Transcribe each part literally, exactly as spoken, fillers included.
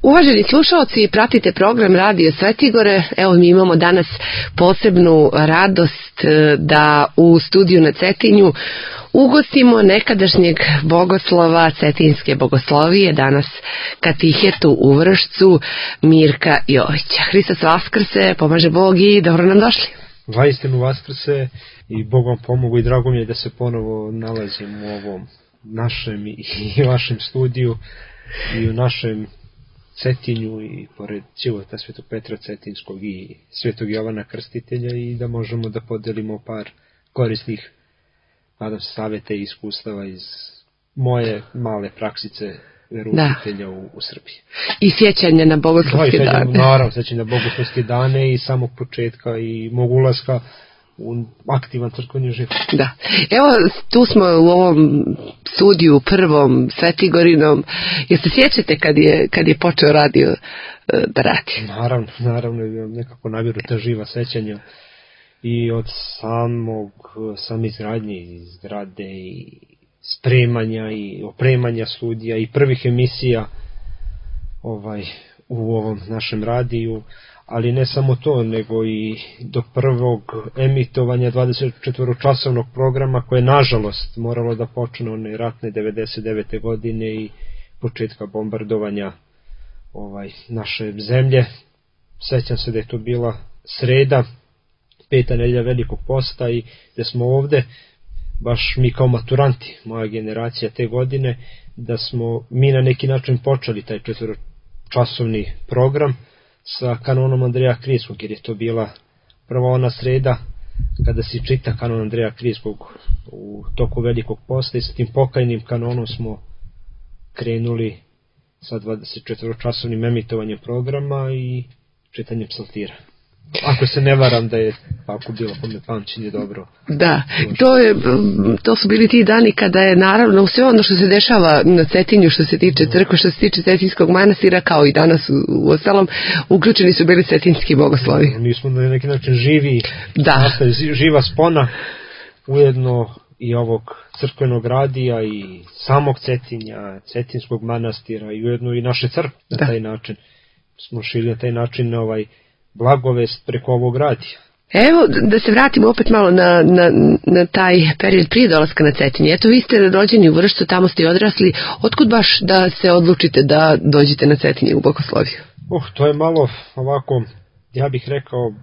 Uvaženi slušalci, pratite program Radio Svetigore. Evo, mi imamo danas posebnu radost da u studiju na Cetinju ugostimo nekadašnjeg bogoslova Cetinjske bogoslovije, danas katehetu u Vršcu, Mirka Jovića. Hristos Vaskrse, pomaže Bog i dobro nam došli. Vaistinu Vaskrse i Bog vam pomogu i drago mi je da se ponovo nalazim u ovom našem i vašem studiju i u našem Cetinju i pored života Svetog Petra Cetinjskog i Svetog Jovana Krstitelja i da možemo da podelimo par korisnih, nadam se, savjeta i iskustava iz moje male praksice veroučitelja u, u Srbiji. I sjećanja na bogoslovske dane. Naravno, sjećanja na bogoslovske dane i samog početka i mog ulaska u aktivan crkveni život. Da. Evo, tu smo u ovom studiju prvom Svetigorinom. Jel se sjećate kad je, kad je počeo radio da radi? Naravno, naravno, nekako navjeru ta živa sećanja i od samog, same izgradnje i zgrade i spremanja i opremanja studija i prvih emisija ovaj, u ovom našem radiju. Ali ne samo to, nego i do prvog emitovanja dvadesetčetvoročasovnog programa koje nažalost moralo da počne one ratne devedeset devete godine i početka bombardovanja ovaj, naše zemlje. Sećam se da je to bila sreda, peta nedelja Velikog posta i da smo ovde, baš mi kao maturanti, moja generacija te godine, da smo mi na neki način počeli taj četvoročasovni program sa kanonom Andreja Krijskog, jer je to bila prva ona sreda kada se čita kanon Andreja Krijskog u toku Velikog posta i sa tim pokajnim kanonom smo krenuli sa dvadesetčetvoročasovnim emitovanjem programa i čitanjem psaltira. Ako se ne varam da je tako bilo, pa me pamćenje dobro. Da, to, je, to su bili ti dani kada je naravno sve ono što se dešava na Cetinju, što se tiče crkve, što se tiče Cetinjskog manastira, kao i danas u, u ostalom, uključeni su bili cetinjski bogoslovi. Mi smo na neki način živi, da. Nastaje živa spona, ujedno i ovog crkvenog radija i samog Cetinja, Cetinjskog manastira i ujedno i naše crkve na taj način. Smo šili na taj način na ovaj blagovest preko ovog radija. Evo, da se vratimo opet malo na, na, na taj period prije dolaska na Cetinje. Eto, vi ste rođeni u Vršcu, tamo ste i odrasli. Otkud baš da se odlučite da dođete na Cetinje u bogosloviju? Uh, to je malo ovako, ja bih rekao,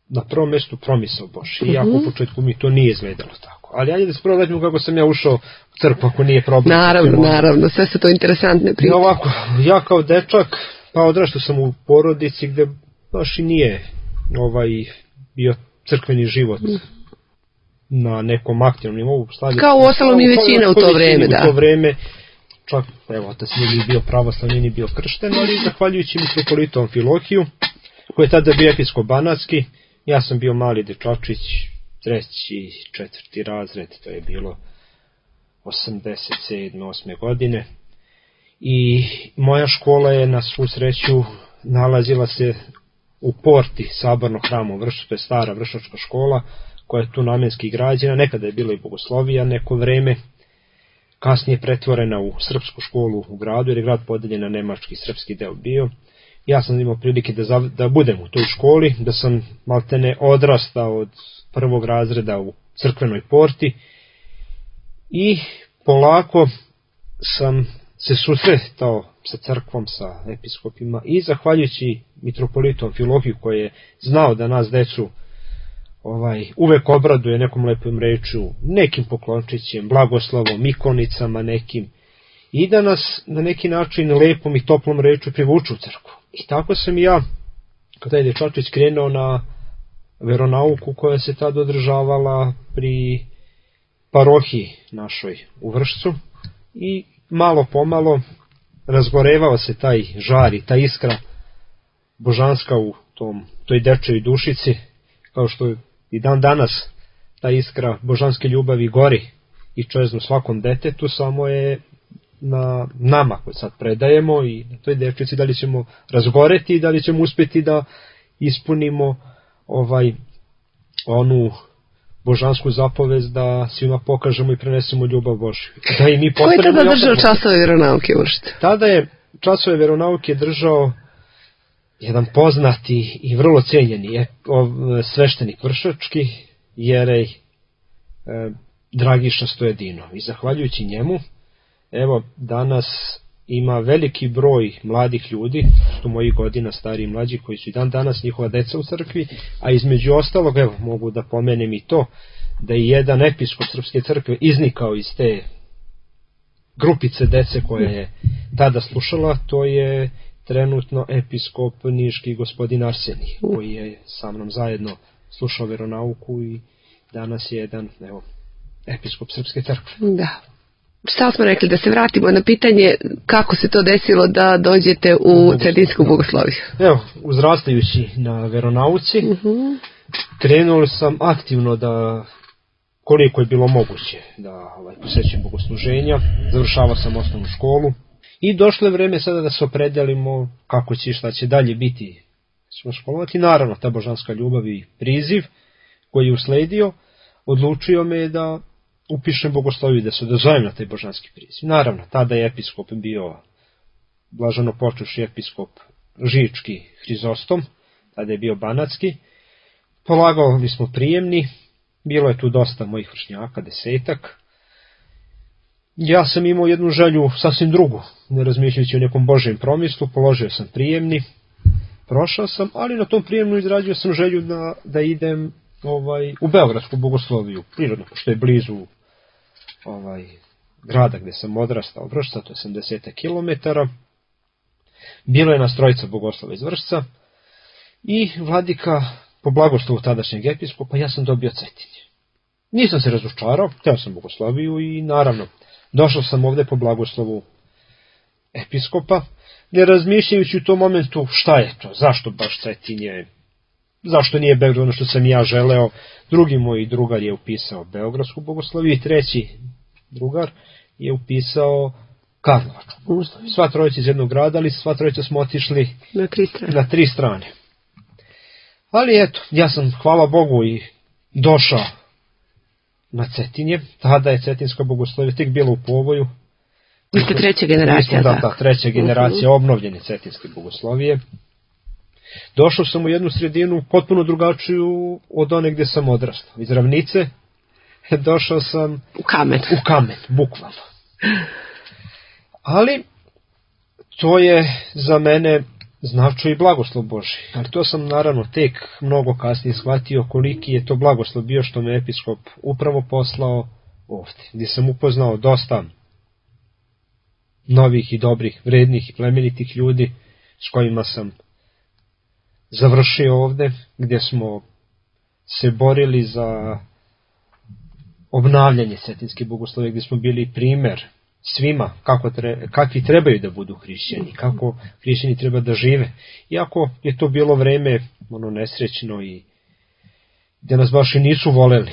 na prvom mjestu promisao Bož. Iako uh-huh. u početku mi to nije izgledalo tako. Ali ajde da se prvo vratimo kako sam ja ušao u crkvu, ako nije problem. Naravno, naravno, sve su to interesantne priče. I ovako, ja kao dečak, pa odrastao sam u porodici gde baš i nije ovaj, bio crkveni život na nekom aktivnom nivou. Kao u ostalom i većina u to vreme, da. U to vreme, čak, evo, otac nije bio pravoslavni, nije bio kršten, ali zahvaljujući mitropolitu Amfilohiju, koji je tada bio episkop-banatski, ja sam bio mali dečačić, treći, četvrti razred, to je bilo osamdeset sedme osme godine. I moja škola je na svu sreću nalazila se u porti Sabornog hrama u Vršcu, to je stara vršnjačka škola koja je tu namenski građena, nekada je bila i bogoslovija neko vreme, kasnije pretvorena u srpsku školu u gradu, jer je grad podeljen na nemački i srpski deo bio. Ja sam imao prilike da, zav, da budem u toj školi, da sam maltene odrastao od prvog razreda u crkvenoj porti i polako sam se susretao sa crkvom, sa episkopima i zahvaljujući mitropolitu Amfilohiju koji je znao da nas decu ovaj, uvek obraduje nekom lepom rečju, nekim poklončićem, blagoslovom, ikonicama nekim i da nas na neki način lepom i toplom rečju privuču u crkvu. I tako sam i ja, kada je dečačić krenuo na veronauku koja se tada održavala pri parohiji našoj u Vršcu i malo pomalo razgorevao se taj žar i ta iskra božanska u tom, toj dečoj dušici, kao što i dan danas ta iskra božanske ljubavi gori i čeznu svakom detetu, samo je na nama koji sad predajemo i na toj dečici da li ćemo razgoreti i da li ćemo uspjeti da ispunimo ovaj onu božansku zapovest da svima pokažemo i prenesemo ljubav Božju. Da i mi Ko je tada držao časove vjeronauke uopšte? Tada je časove veronauke držao jedan poznati i vrlo cijenjeni sveštenik vršački, jerej e, Dragiša Stojedinov. I zahvaljujući njemu, evo, danas ima veliki broj mladih ljudi, što moji godina, stari i mlađi, koji su i dan danas njihova deca u crkvi, a između ostalog, evo, mogu da pomenem i to, da je jedan episkop Srpske crkve iznikao iz te grupice dece koja je tada slušala, to je trenutno episkop niški gospodin Arsenij, koji je sa mnom zajedno slušao veronauku i danas je jedan, evo, episkop Srpske crkve. Da. Šta smo rekli, da se vratimo na pitanje kako se to desilo da dođete u Cetinsku bogosloviju? Evo, uzrastajući na veronauci, uh-huh. krenuo sam aktivno da, koliko je bilo moguće, da ovaj, posećujem bogosluženja, završavao sam osnovnu školu i došlo je vreme sada da se opredelimo kako će, šta će dalje biti, ćemo školovati. Naravno, ta božanska ljubav i priziv koji je usledio, odlučio me da upišem bogosloviju, da se odazovem na taj božanski priziv. Naravno, tada je episkop bio blaženo počevši episkop Žički Hrizostom, tada je bio banatski. Polagali smo prijemni, bilo je tu dosta mojih vršnjaka, desetak. Ja sam imao jednu želju sasvim drugu, ne razmišljajući o nekom Božjem promislu, položio sam prijemni, prošao sam, ali na tom prijemnu izrađio sam želju da, da idem ovaj, u Beogradsku bogosloviju, prirodno, što je blizu ovaj, grada gde sam odrastao, Vršca, to je sedamdeset kilometara. Bilo je nas trojica bogoslova iz Vršca i vladika, po blagoslovu tadašnjeg episkopa, ja sam dobio Cetinje. Nisam se razočarao, hteo sam bogosloviju i naravno, došao sam ovde po blagoslovu episkopa, ne razmišljajući u tom momentu šta je to, zašto baš Cetinje, zašto nije Beograd ono što sam ja želeo. Drugi moj drugar je upisao Beogradsku bogosloviju i treći drugar je upisao Karlovačku bogosloviju. Sva trojica iz jednog grada, ali sva trojica smo otišli na tri strane. Na tri strane. Ali eto, ja sam, hvala Bogu, i došao na Cetinje. Tada je Cetinska bogoslovija tek bila u povoju. Vi ste treća generacija, da, da, treća generacija uh-huh. obnovljene Cetinske bogoslovije. Došao sam u jednu sredinu potpuno drugačiju od one gde sam odrastao. Iz ravnice došao sam u kamen, u kamen, bukvalno. Ali to je za mene značio i blagoslov Božji. Ali to sam naravno tek mnogo kasnije shvatio koliki je to blagoslov bio što me episkop upravo poslao ovde, gdje sam upoznao dosta novih i dobrih, vrednih i plemenitih ljudi s kojima sam završio ovde, gdje smo se borili za obnavljanje Cetinske bogoslovije, gdje smo bili primer svima kako tre, kakvi trebaju da budu hrišćani, kako hrišćani treba da žive. Iako je to bilo vreme ono nesrećno i gdje nas baš i nisu voleli,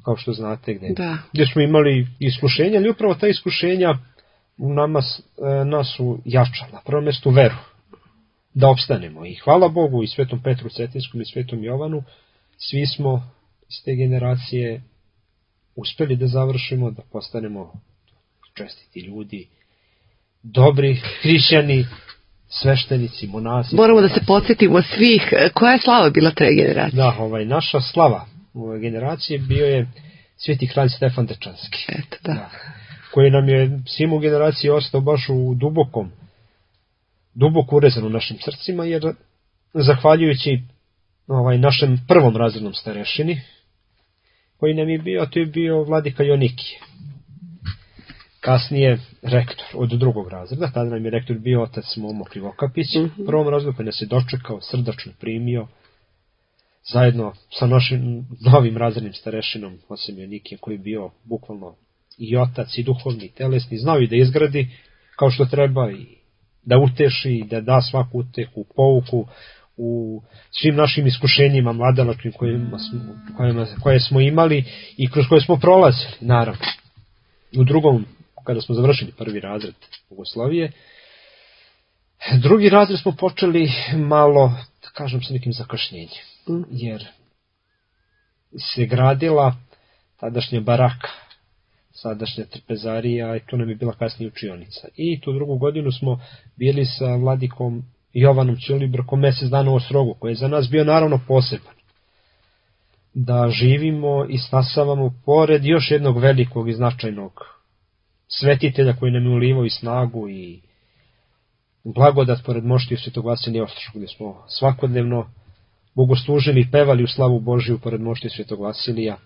kao što znate, gdje, da. gdje smo imali iskušenja, ali upravo ta iskušenja u nama, nas su jačala, na prvom mjestu veru, da opstanemo. I hvala Bogu i Svetom Petru Cetinskom i Svetom Jovanu, svi smo iz te generacije uspeli da završimo, da postanemo čestiti ljudi, dobri hrišćani, sveštenici, monasi. Moramo da se podsjetimo svih, koja je slava bila te generacije? Da, ovaj, naša slava ove generacije bio je Sveti kralj Stefan Dečanski. Eto, da. Da, koji nam je svim u generaciji ostao baš u dubokom, duboko urezan u našim srcima, jer zahvaljujući ovaj, našem prvom razrednom starešini, koji nam je bio, a to je bio vladika Jonikije. Kasnije rektor od drugog razreda, tada nam je rektor bio otac Momo Krivokapić, mm-hmm. prvom razredu koji nas je dočekao, srdačno primio, zajedno sa našim novim razrednim starešinom, osim Jonikije, koji je bio bukvalno i otac, i duhovni, i telesni, znao i da izgradi kao što treba, i da uteši, da da svaku utehu, pouku u svim našim iskušenjima mladalačkim kojima smo, kojima, koje smo imali i kroz koje smo prolazili, naravno. U drugom, kada smo završili prvi razred bogoslovije, drugi razred smo počeli malo, da kažem, sa nekim zakašnjenjem, jer se gradila tadašnja baraka sadašnja trpezarija, i tu nam je bila kasnije učionica. I tu drugu godinu smo bili sa vladikom Jovanom Ćulibrkom mjesec dana u Ostrogu, koji je za nas bio naravno poseban. Da živimo i stasavamo pored još jednog velikog i značajnog svetitelja koji nam je ulivao i snagu i blagodat pored moštiju Svetog Vasilija Ostroškog, gdje smo svakodnevno bogoslužili i pevali u slavu Božiju pored moštiju Svetog Vasilija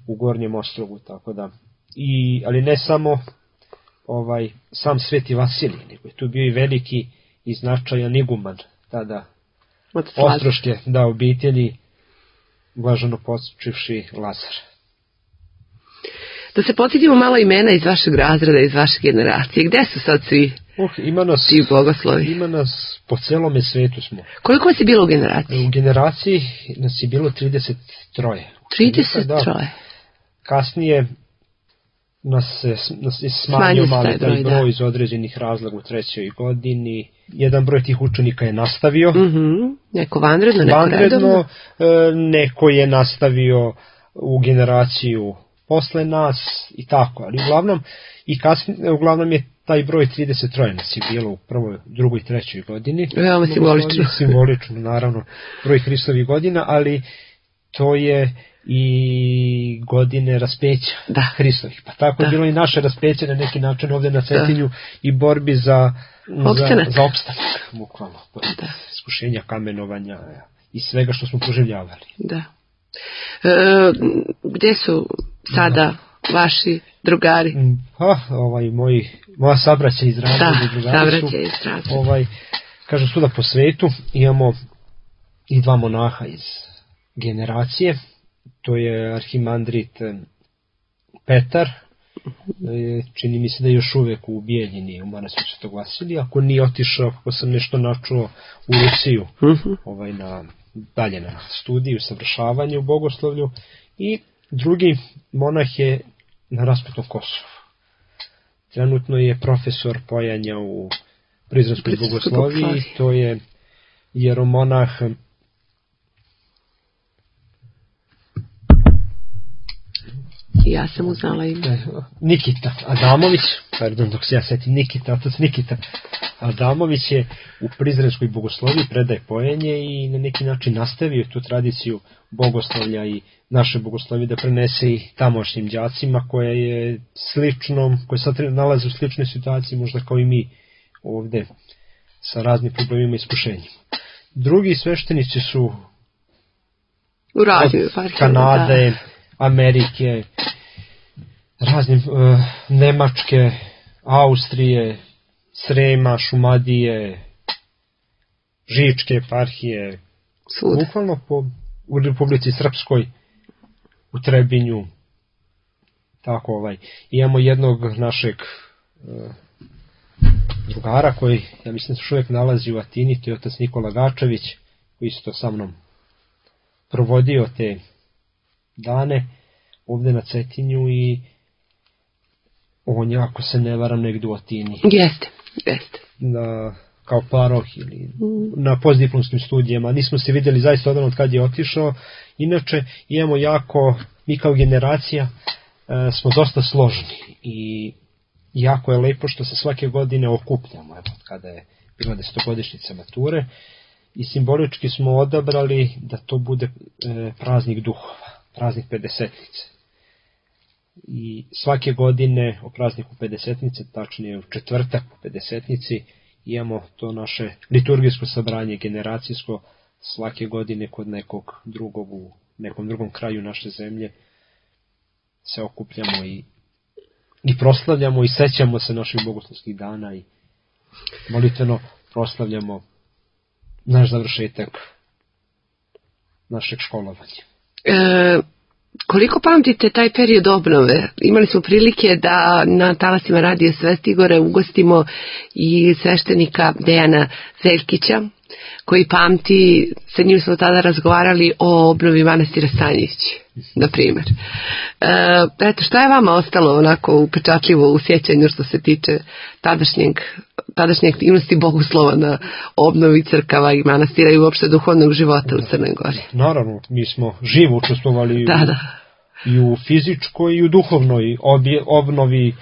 u Gornjem Ostrogu, tako da. I, ali ne samo ovaj sam Sveti Vasilij, nego je tu bio i veliki i značajan iguman tada Ostroške, da, obitelji, blaženo počivši Lazar. Da se podsjetimo malo imena iz vašeg razreda, iz vaše generacije. Gde su sad svi uh, ima nas, ti bogoslovi? Ima nas po celome svetu smo. Koliko vas je bilo u generaciji? U generaciji nas je bilo trideset tri. trideset tri? Da. Kasnije nas se nas je smanjio malo taj broj, broj iz određenih razloga u trećoj godini. Jedan broj tih učenika je nastavio. Mm-hmm. Neko vanredno, neko vanredno, redovno? Neko je nastavio u generaciju posle nas i tako, ali uglavnom, i kasnije, uglavnom je taj broj trideset tri nas je bilo u prvoj, drugoj i trećoj godini. Veoma simbolično. Simbolično, naravno, broj Hristovih godina, ali to je i godine raspeća da. Hristovih. Pa tako da. je bilo i naše raspeće na neki način ovdje na Cetinju da. I borbi za opstanak, za, za opstanak bukvalno, pored iskušenja, kamenovanja i svega što smo proživljavali. Da. E, gdje su sada da. Vaši drugari? Pa, ovaj, moji, moja sabraća iz razreda. Da, sabraća iz razreda. Ovaj, kažem, svuda po svetu imamo i dva monaha iz generacije. To je arhimandrit Petar, čini mi se da je još uvek u Bijeljini u manastiru Svetog Vasilija, ako nije otišao, kako sam nešto načuo, u Rusiju, uh-huh. ovaj, na, dalje na studiju, savršavanje u bogoslovlju, i drugi monah je na Rasputom Kosovu. Trenutno je profesor pojanja u Prizrenskoj bogosloviji, to je jeromonah ja sam uznala ime. Nikita Adamović, pardon, dok se ja setim, Nikita, otac Nikita Adamović je u Prizrenskoj bogosloviji, predaje pojenje i na neki način nastavio tu tradiciju bogoslovlja i naše bogoslovije da prenese i tamošnjim đacima, koja je sličnom, koje sad nalaze u sličnoj situaciji, možda kao i mi ovde, sa raznim problemima i iskušenjima. Drugi sveštenici su u radiju, od Kanade, da. Amerike, raznim uh, Nemačke, Austrije, Srema, Šumadije, Žičke eparhije, bukvalno po, u Republici Srpskoj, u Trebinju, tako ovaj. Imamo jednog našeg uh, drugara koji, ja mislim, se uvijek nalazi u Atini, to je otac Nikola Gačević, koji isto sa mnom provodio te dane ovdje na Cetinju, i on je, ako se ne varam, negdje u Atini. Jeste, jeste. Na, kao paroh ili mm. na postdiplomskim studijama. Nismo se vidjeli zaista odavno od kad je otišao. Inače, imamo jako, mi kao generacija e, smo dosta složni i jako je lepo što se svake godine okupljamo, evo, kada je bila desetogodišnjica mature, i simbolički smo odabrali da to bude e, praznik duhova, praznik pedesetnice. I svake godine o prazniku pedesetnice, tačnije u četvrtak po pedesetnici, imamo to naše liturgijsko sabranje, generacijsko, svake godine kod nekog drugog, u nekom drugom kraju naše zemlje se okupljamo i, i proslavljamo i sećamo se naših bogoslovskih dana i molitveno proslavljamo naš završetak našeg školovanja. E, koliko pamtite taj period obnove? Imali smo prilike da na talasima Radio Svetigore ugostimo i sveštenika Dejana Zeljkića, koji pamti, sa njim smo tada razgovarali o obnovi manastira Stanjević, na primjer. E, eto, šta je vama ostalo onako upečatljivo u sjećanju što se tiče tadašnjeg, tadašnje aktivnosti bogoslova na obnovi crkava i manastira i uopšte duhovnog života u Crnoj Gori? Naravno, mi smo živo učestvovali da, da. i u fizičkoj i u duhovnoj obje, obnovi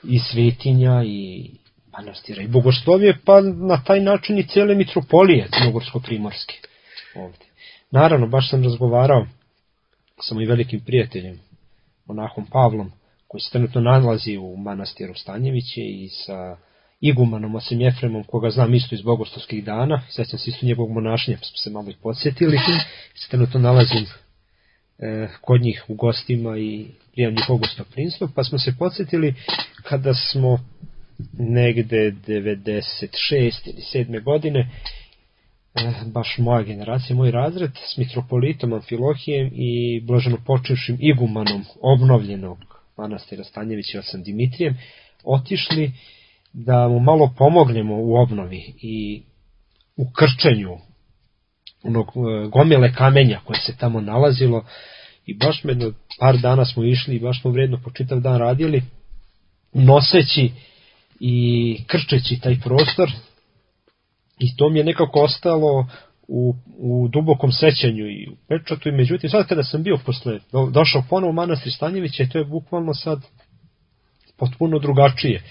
i svetinja i manastira i bogoslovije, pa na taj način i cijele mitropolije crnogorsko-primorske ovdje. Naravno, baš sam razgovarao sa mojim velikim prijateljem, monahom Pavlom, koji se trenutno nalazi u manastiru Stanjeviće, i sa igumanom Ocem Jefremom, koga znam isto iz bogoslovskih dana, sećam se isto njegovog monašnja, pa smo se malo i podsjetili, se trenutno nalazim e, kod njih u gostima i prijam njihovog gostoprimstva, pa smo se podsjetili kada smo negde devedeset šeste ili sedme godine, baš moja generacija, moj razred, s mitropolitom Amfilohijem i blaženopočevšim igumanom obnovljenog manastira Stanjevića Ocem Dimitrijem, otišli da mu malo pomognemo u obnovi i u krčenju onog gomile kamenja koje se tamo nalazilo, i baš medno par dana smo išli i baš smo vredno po čitav dan radili, noseći i krčeći taj prostor, i to mi je nekako ostalo u, u dubokom sećanju i u pečatu. I međutim, sad kada sam bio posle, do, došao ponovo u manastir Stanjevića, to je bukvalno sad potpuno drugačije.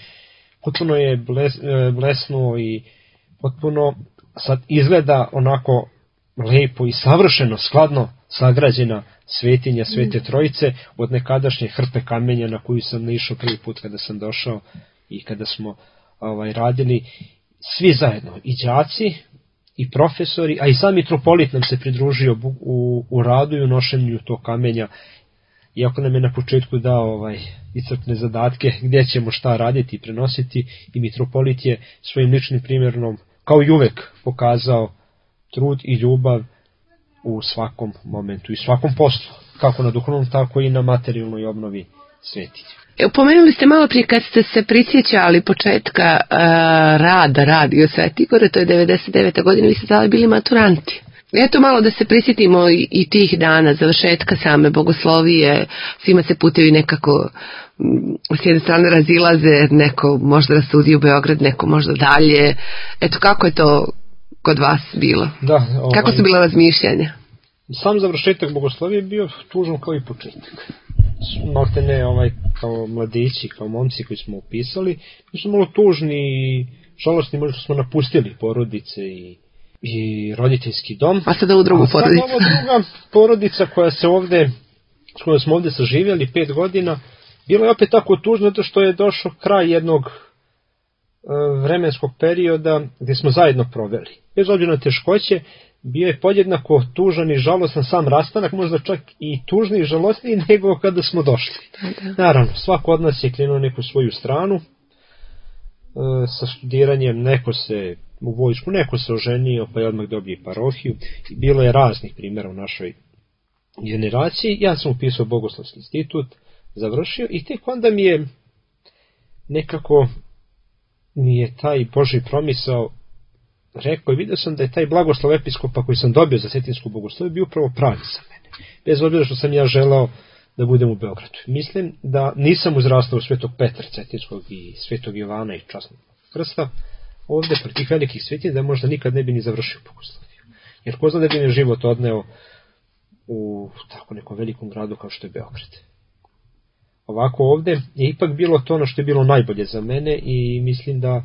Potpuno je bles, blesnuo i potpuno sad izgleda onako lepo i savršeno, skladno sagrađena svetinja Svete Trojice od nekadašnje hrpe kamenja na koju sam naišao prvi put kada sam došao i kada smo ovaj, radili svi zajedno, i đaci i profesori, a i sam mitropolit nam se pridružio u, u radu i u nošenju tog kamenja, iako nam je na početku dao ovaj, iscrpne zadatke gdje ćemo šta raditi i prenositi, i mitropolit je svojim ličnim primjerom, kao i uvek, pokazao trud i ljubav u svakom momentu i svakom poslu, kako na duhovnom, tako i na materijalnoj obnovi svetinja. Pomenuli ste malo prije kad ste se prisjećali početka uh, rada Radio Sveti Igore, to je devedeset deveta godina, vi ste tada bili maturanti. Eto malo da se prisjetimo i, i tih dana, završetka same bogoslovije, svima se putevi nekako m, s jedne strane razilaze, neko možda da studi u Beograd, neko možda dalje. Eto kako je to kod vas bilo? Da, ovaj, kako su bila razmišljanja? Sam završetak bogoslovije je bio tužan kao i početak. Malte ne, ovaj, kao mladići, kao momci koji smo upisali, mi smo malo tužni i žalostni, možda smo napustili porodice i, i roditeljski dom. A sada u drugu porodicu. A sad ova druga porodica koja se ovde, s kojom smo ovde saživjeli pet godina, bilo je opet tako tužno, zato što je došao kraj jednog e, vremenskog perioda gdje smo zajedno proveli. Bez obzira na teškoće, bio je podjednako tužan i žalostan sam rastanak, možda čak i tužniji i žalostniji nego kada smo došli. Naravno, svako od nas je krenuo neku svoju stranu, e, sa studiranjem, neko se u vojsku, neko se oženio, pa je odmah dobio parohiju, i bilo je raznih primjera u našoj generaciji. Ja sam upisao Bogoslovski institut, završio, i tek onda mi je nekako mi je taj Božji promisao rekao, i vidio sam da je taj blagoslov episkopa koji sam dobio za setinsku bogosloviju bio upravo pravi za mene. Bez obzira što sam ja želao da budem u Beogradu. Mislim da nisam uzrastao u Svetog Petra Cetinskog i Svetog Jovana i Časnog Krsta ovde pre tih velikih svetinja, da možda nikad ne bi ni završio bogosloviju. Jer ko zna da bi me život odneo u tako nekom velikom gradu kao što je Beograd. Ovako ovde je ipak bilo to ono što je bilo najbolje za mene, i mislim da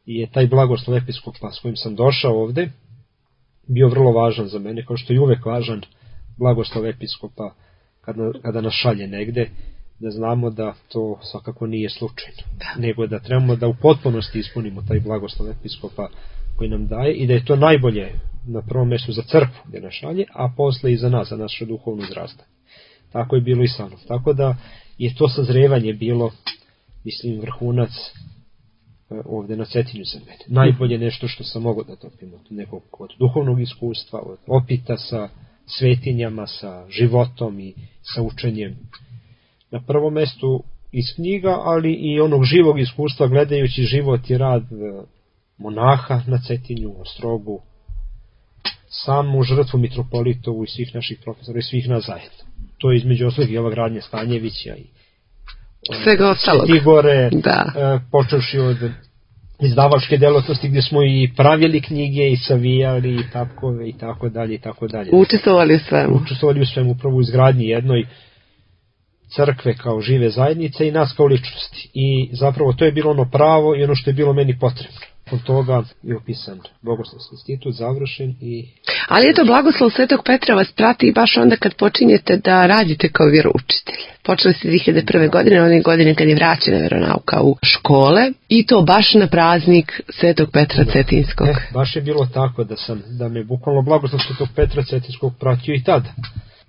je taj blagoslov episkopa s kojim sam došao ovde bio vrlo važan za mene, kao što je uvek važan blagoslov episkopa kada, kada nas šalje negde, da znamo da to svakako nije slučajno, nego da trebamo da u potpunosti ispunimo taj blagoslov episkopa koji nam daje, i da je to najbolje na prvom mjestu za crkvu gdje nas šalje, a posle i za nas, za naše duhovno izrastanje. Tako je bilo i sa mnom. Tako da je to sazrevanje bilo, mislim, vrhunac ovde na Cetinju za mene. Najbolje nešto što sam mogao da topim od nekog od duhovnog iskustva, od opita sa svetinjama, sa životom i sa učenjem. Na prvom mjestu iz knjiga, ali i onog živog iskustva gledajući život i rad monaha na Cetinju, Ostrogu, samu žrtvu mitropolitovu i svih naših profesora i svih nas zajedno. To je između ostalog i ova gradnja Stanjevića i svega ostalog. Sveti Igore, da. e, počevši od izdavačke delatnosti gdje smo i pravili knjige i savijali i tapkove i tako dalje i tako dalje. Učestvovali u svemu. Učestvovali u svemu, upravo u izgradnji jednoj crkve kao žive zajednice i nas kao ličnosti. I zapravo to je bilo ono pravo i ono što je bilo meni potrebno. Od toga je upisan Bogoslovski institut, završen i... Ali eto, blagoslov Svetog Petra vas prati baš onda kad počinjete da radite kao vjeroučitelj. Počeli ste dvije hiljade prve. godine, one godine kad je vraćena vjeronauka u škole, i to baš na praznik Svetog Petra da. Cetinskog. E, baš je bilo tako da sam, da me bukvalno blagoslov Svetog Petra Cetinskog pratio i tada.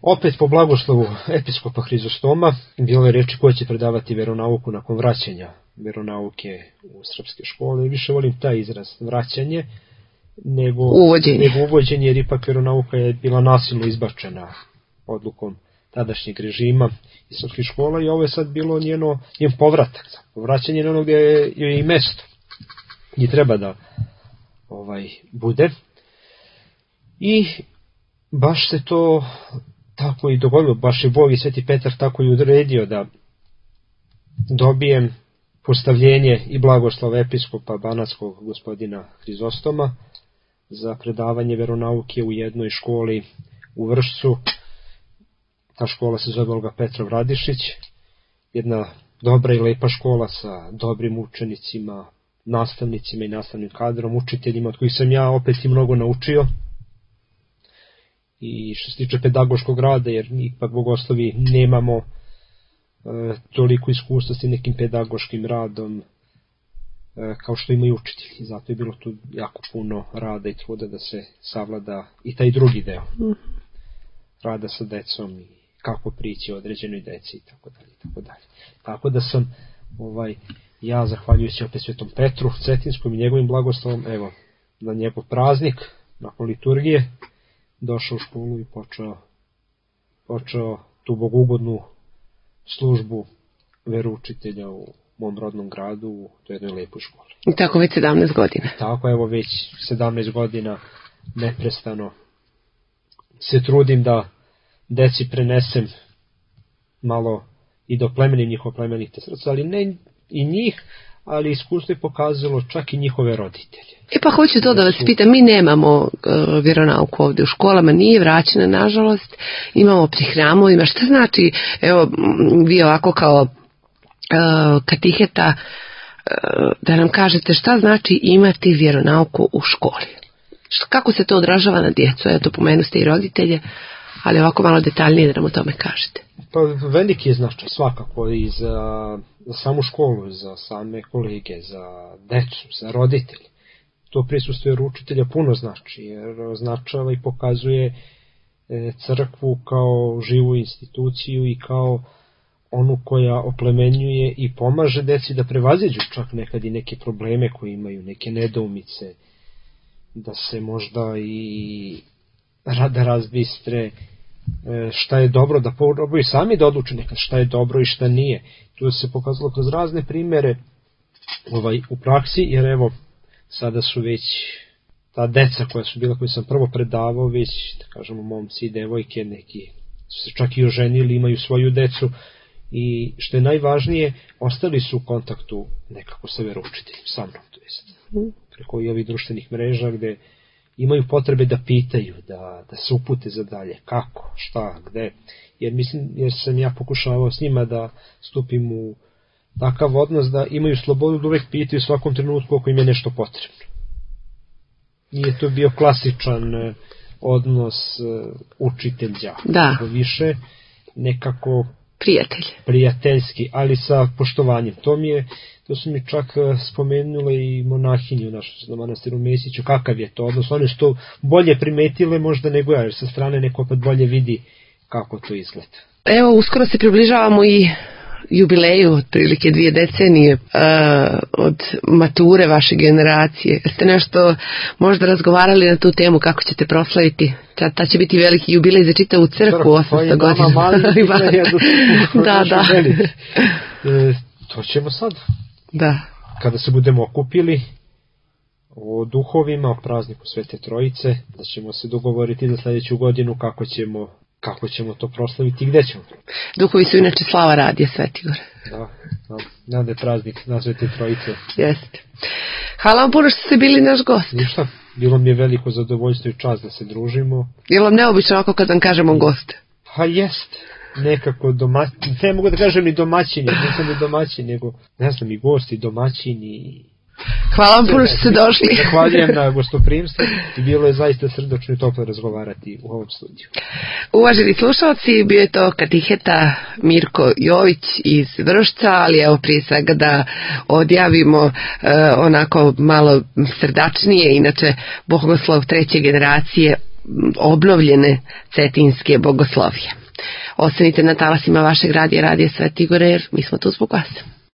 Opet po blagoslovu episkopa Hrizostoma bilo je reči ko će predavati vjeronauku nakon vraćanja vjeronauke u srpske škole. Više volim taj izraz, vraćanje, nego uvođenje, nego uvođenje jer ipak vjeronauka je bila nasilno izbačena odlukom tadašnjeg režima iz srpskih škola i ovo je sad bilo njeno, njen povratak, vraćanje na ono gdje je i mesto i treba da ovaj, bude. I baš se to tako i dogodilo, baš je Bog i Sveti Petar tako i odredio da dobijem postavljenje i blagoslov episkopa banatskog gospodina Hrizostoma za predavanje veronauke u jednoj školi u Vršcu. Ta škola se zove Olga Petrov Radišić, jedna dobra i lepa škola sa dobrim učenicima, nastavnicima i nastavnim kadrom, učiteljima od kojih sam ja opet i mnogo naučio. I što se tiče pedagoškog rada, jer mi ipak bogoslovi nemamo e, toliko iskustva s nekim pedagoškim radom e, kao što imaju učitelji. I zato je bilo tu jako puno rada i truda da se savlada i taj drugi deo. Mm. Rada sa decom i kako prići određenoj deci i tako dalje, tako dalje. Tako da sam ovaj, ja zahvaljujući opet Svetom Petru Cetinskom i njegovim blagoslovom, evo, na njegov praznik, nakon liturgije, došao u školu i počeo, počeo tu bogugodnu službu veroučitelja u mom rodnom gradu, u toj jednoj lepoj školi. I tako već sedamnaest godina. Tako, evo već sedamnaest godina neprestano se trudim da deci prenesem malo i do plemenim njihova plemenite srca, ali ne i njih, ali iskustvo je pokazalo čak i njihove roditelje. E pa hoću to da vas pitam, mi nemamo uh, vjeronauku ovdje u školama, nije vraćena nažalost, imamo pri hramovima, šta znači, evo vi ovako kao uh, katiheta, uh, da nam kažete šta znači imati vjeronauku u školi? Kako se to odražava na djecu? Eto, pomenu ste i roditelje, ali ovako malo detaljnije da nam o tome kažete. Pa veliki je značaj svakako i za, za samu školu, za same kolege, za decu, za roditelje. To prisustvo vjeroučitelja puno znači, jer označava i pokazuje e, crkvu kao živu instituciju i kao onu koja oplemenjuje i pomaže deci da prevaziđu čak nekad i neke probleme koje imaju, neke nedoumice, da se možda i rada razbistre šta je dobro, da probaju sami da odluče nekad šta je dobro i šta nije. Tu se pokazalo kroz razne primere ovaj, u praksi, jer evo sada su već ta deca koja su bila, koju sam prvo predavao, već da kažemo momci i devojke, neki su se čak i oženili, imaju svoju decu i što je najvažnije, ostali su u kontaktu nekako sa veroučiteljem, sa mnom, to jest preko i ovih društvenih mreža gde imaju potrebe da pitaju, da, da se upute za dalje, kako, šta, gde, jer mislim, jer sam ja pokušavao s njima da stupim u takav odnos da imaju slobodu da uvek pitaju u svakom trenutku ako im je nešto potrebno. Nije to bio klasičan odnos učitelj-đak, da. Više nekako prijatelj. Prijateljski, ali sa poštovanjem. To mi je, to su mi čak spomenule i monahinje u našem manastiru Mesiću, kakav je to odnos. One su to bolje primetile možda nego ja, jer sa strane neko opet bolje vidi kako to izgleda. Evo, uskoro se približavamo i jubileju, otprilike dvije decenije uh, od mature vaše generacije. Jeste nešto možda razgovarali na tu temu kako ćete proslaviti? Ta, ta će biti veliki jubilej za čitavu crkvu, osamsto godina. Da, da. E, to ćemo sad. Da. Kada se budemo okupili o duhovima, o prazniku Svete Trojice, da ćemo se dogovoriti za sljedeću godinu kako ćemo kako ćemo to proslaviti i gde ćemo. Duhovi su inače slava radija Svetigor. Da, da, da je praznik na Svete Trojice. Jeste. Hvala vam puno što ste bili naš gost. Ništa, bilo mi je veliko zadovoljstvo i čast da se družimo. Je li vam neobično ovako kad vam kažemo gost? Pa jest, nekako domaćin, ne mogu da kažem ni domaćin, nisam ni domaćin, nego ne znam, i gosti, domaćini. Hvala vam puno što ste došli. Zahvaljujem na gostoprimstvu i bilo je zaista srdačno i toplo razgovarati u ovom studiju. Uvaženi slušalci, bio je to katiheta Mirko Jović iz Vršca, ali evo prije svega da odjavimo eh, onako malo srdačnije, inače bogoslov treće generacije obnovljene cetinske bogoslovije. Ostanite na talasima vašeg radija, Radija Sveti Igor, jer mi smo tu zbog vas.